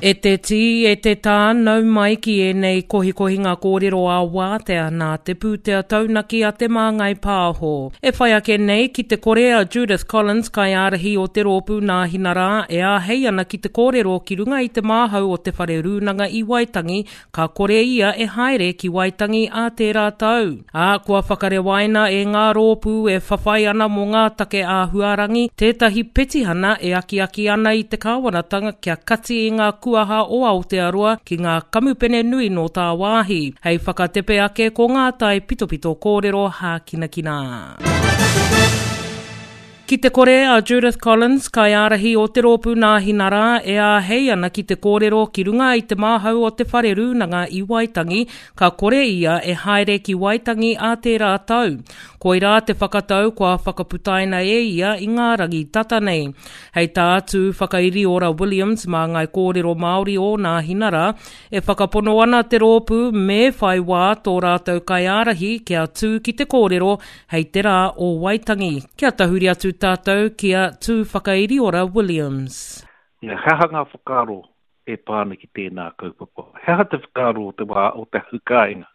E te tī, e te tā, nau mai ki ēnei kohikohinga kōrero ā-wātea nā te pūtea taunaki a Te Māngai Pāho. E whai ake nei ki te kore a Judith Collins, kaiārahi o te rōpū Nāhinarā, e āhei ana ki te kōrero ki runga i te māhau o te Whare Rūnanga i Waitangi, ka kore ia e haere ki Waitangi ā tērā tau. Ā, kua whakarewaina e ngā rōpū e whawhai ana mō ngā take āhuarangi tētahi petihana e akiaki ana i te kāwanatanga kia kati i ngā kuaha o Aotearoa ki ngā kamupene nui nō tāwāhi, hei whakatepe ake ko ngā taipitopito kōrero hākinakina. Ki te kore a Judith Collins, kaiārahi o te rōpū Nāhinarā, e āhei ana ki te kōrero ki runga i te māhau o te whare rūnanga i Waitangi, ka kore ia e haere ki Waitangi ā tērā tau. Koirā te whakatau kua whakaputaina e ia i ngā rangi tata nei. Hei tā Tū Whakairiora Williams, māngai kōrero Māori o Nāhinarā, e whakapono ana te rōpū me whai wā tō rātou kaiārahi kia tū ki te kōrero Hei te rā o Waitangi, kia tahuri atu tātou ki a Tūwhakairiora Williams. He aha ngā whakaaro e pā ana ki tēnā kaupapa? He aha te whakaaro o te wā o te hau kāinga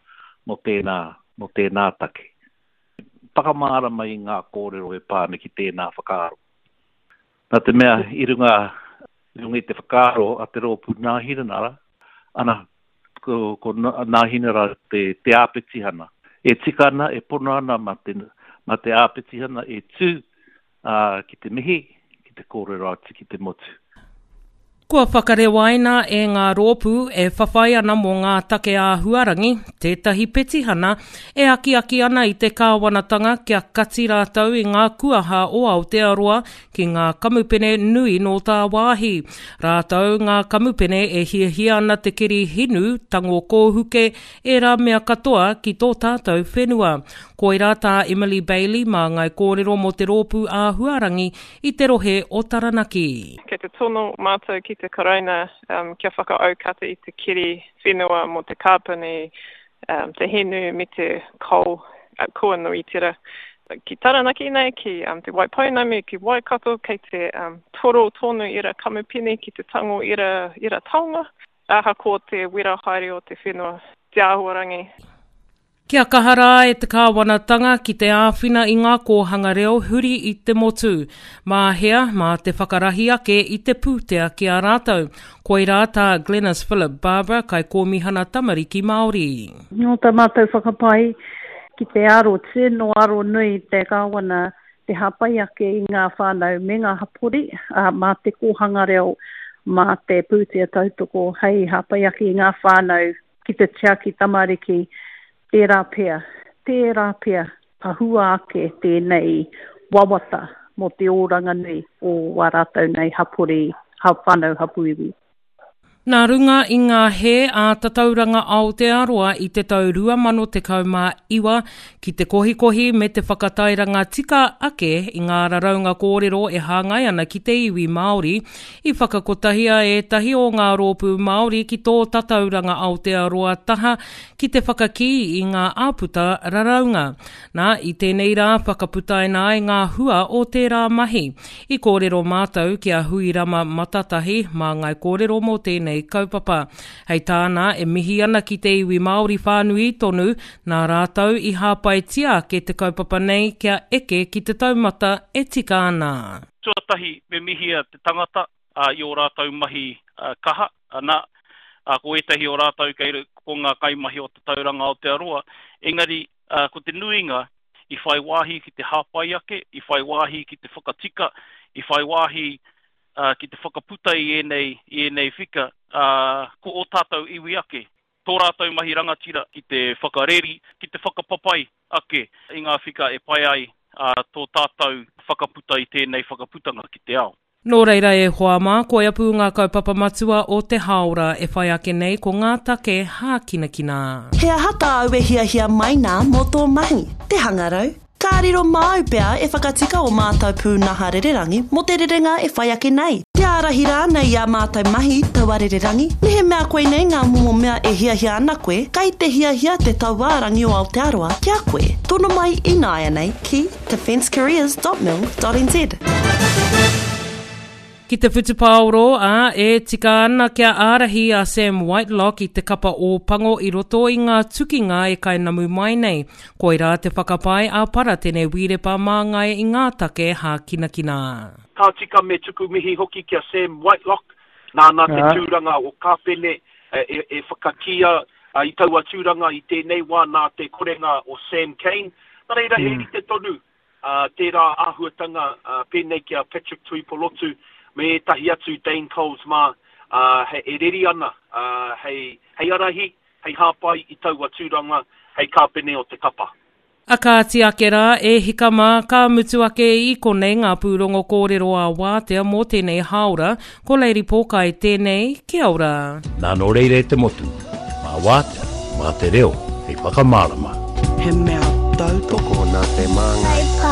mō tēnā, mō tēnā take? Whakamārama i ngā kōrero e pā ana ki tēnā whakaaro. Nā te mea i runga, i runga i te whakaaro a te rōpū Nāhinanara, ana, ko, ko Nāhinara te, te āpetihana. E tika ana, e pono ana mā te, mā te āpetihana e tū ā, ki te mihi, ki te kōrero atu ki te motu. Kua whakarewaina e ngā rōpū e whawhai ana mō ngā take āhuarangi tētahi petihana e akiaki ana i te kāwanatanga kia kati rātou i ngā kuaha o Aotearoa ki ngā kamupene nui nō tāwāhi. Rātou ngā kamupene e hiahia ana te keri hinu, tango kōhuke, ērā mea katoa ki tō tātou whenua. Koirā tā Emily Bailey māngai kōrero mō te rōpū āhuarangi i te rohe o Taranaki. Kei te tono mātou ki te Karauna kia whakaaukati i te keri whenua mō te kāpene te hinu me te coal kua Nuitera. Ki Taranaki nei, ki Te Waipounamu, ki Waikato, kei te toro tonu ira kamupene ki te tango ira, ira taonga, ahakoa te wera haere o te whenua, te āhuarangi. Kia kaha rā e te kāwanatanga ki te āwhina i ngā kōhanga reo huri i te motu. Mā hea, mā te whakarahi ake i te pūtea ki a rātou. Koirā tā Glenis Philip Barbara, Kaikōmihana Tamariki Māori. Nō tā mātou whakapae ki te aro tino aro nui te Kāwana te hāpai ake i ngā whānau me ngā hapori, ā, mā te kōhanga reo, mā te pūtea tautoko hei hāpai ake i ngā whānau ki te tiaki tamariki, tērā pea, tērā pea ka hua ake tēnei wawata mō te oranga nui o wā rātou nei hapori, whānau hapū iwi. Nā runga i ngā hē a Tatauranga Aotearoa i te tau 2019 ki te kohikohi me te whakatairanga tika ake i ngā raraunga kōrero e hāngai ana ki te iwi Māori, i whakakotahia ētahi o ngā rōpū Māori ki tō Tatauranga Aotearoa taha ki te whakakī i ngā āputa raraunga. Nā, i tēnei rā whakaputaina ai ngā hua o tērā mahi. I kōrero mātou ki a Huirama Matatahi, māngai kōrero mō tēnei kaupapa. Hei tāna, e mihi ana ki te iwi Māori whānui tonu, nā rātou i hāpaitia ake te kaupapa nei kia eke ki te taumata e tika ana. Tuatahi me mihia te tangata i ō rātou mahi kaha, ana, ko ētahi o rātou kei ko ngā kaimahi o Tatauranga Aotearoa, engari ko te nuinga i whai wāhi ki te hāpai ake, i whai wāhi ki te whakatika, i whai wāhi ki te whakaputa i ēnei, i ēnei whika, ko ō tātou iwi ake, tō rātou mahi rangatira ki te whakareri, ki te whakapapai ake i ngā whika e pai ai tō tātou whakaputa i tēnei whakaputanga ki te ao. Nō reira e hoa mā, koia pū ngā kaupapa matua o te hāora e whai ake nei ko ngā take hākinakina. He aha tāu e hiahia mai nā mō tō mahi? Te hangarau? Ka riro māu pea e whakatika ō mātou pūnaha rererangi mō te rerenga e whai ake nei? Te ārahi rānei i ā mātou mahi taua rererangi? Mehemea koinei ngā momo mea e hiahia ana koe, kei te hiahia te Tauārangi o Aotearoa ki a koe. Tono mai ināianei ki defencecareers.mil.nz. Ki te whutupaoro, ā, e tika ana kia ārahi a Sam Whitelock i te kapa Ōpango i roto i ngā tukinga e kainamu mai nei. Koirā te whakapae a Paratene Wīrepa Māngai i ngā take hākinakina. Ka tika me tuku mihi hoki ki a Sam Whitelock, nāna te tūranga o Kāpene e whakakīia i taua tūranga i tēnei wā nā te korenga o Sam Cane. Nā reira, he rite tonu tērā āhuatanga pēnei ki a Patrick Tuipolotu me ētahi atu Dane Coles mā e reri ana hei arahi, hei hāpai i taua tūranga hei kāpene o te kapa. A kāti ake rā, e hika mā, ka mutu ake i konei ngā pūrongo kōrero ā-wātea mō tēnei hāora. Ko Lady Pōkai tēnei, kia ora. Nā nō reira e te motu, mā wātea, mā te reo hei whakamārama. He mea tautoko nā te māngai.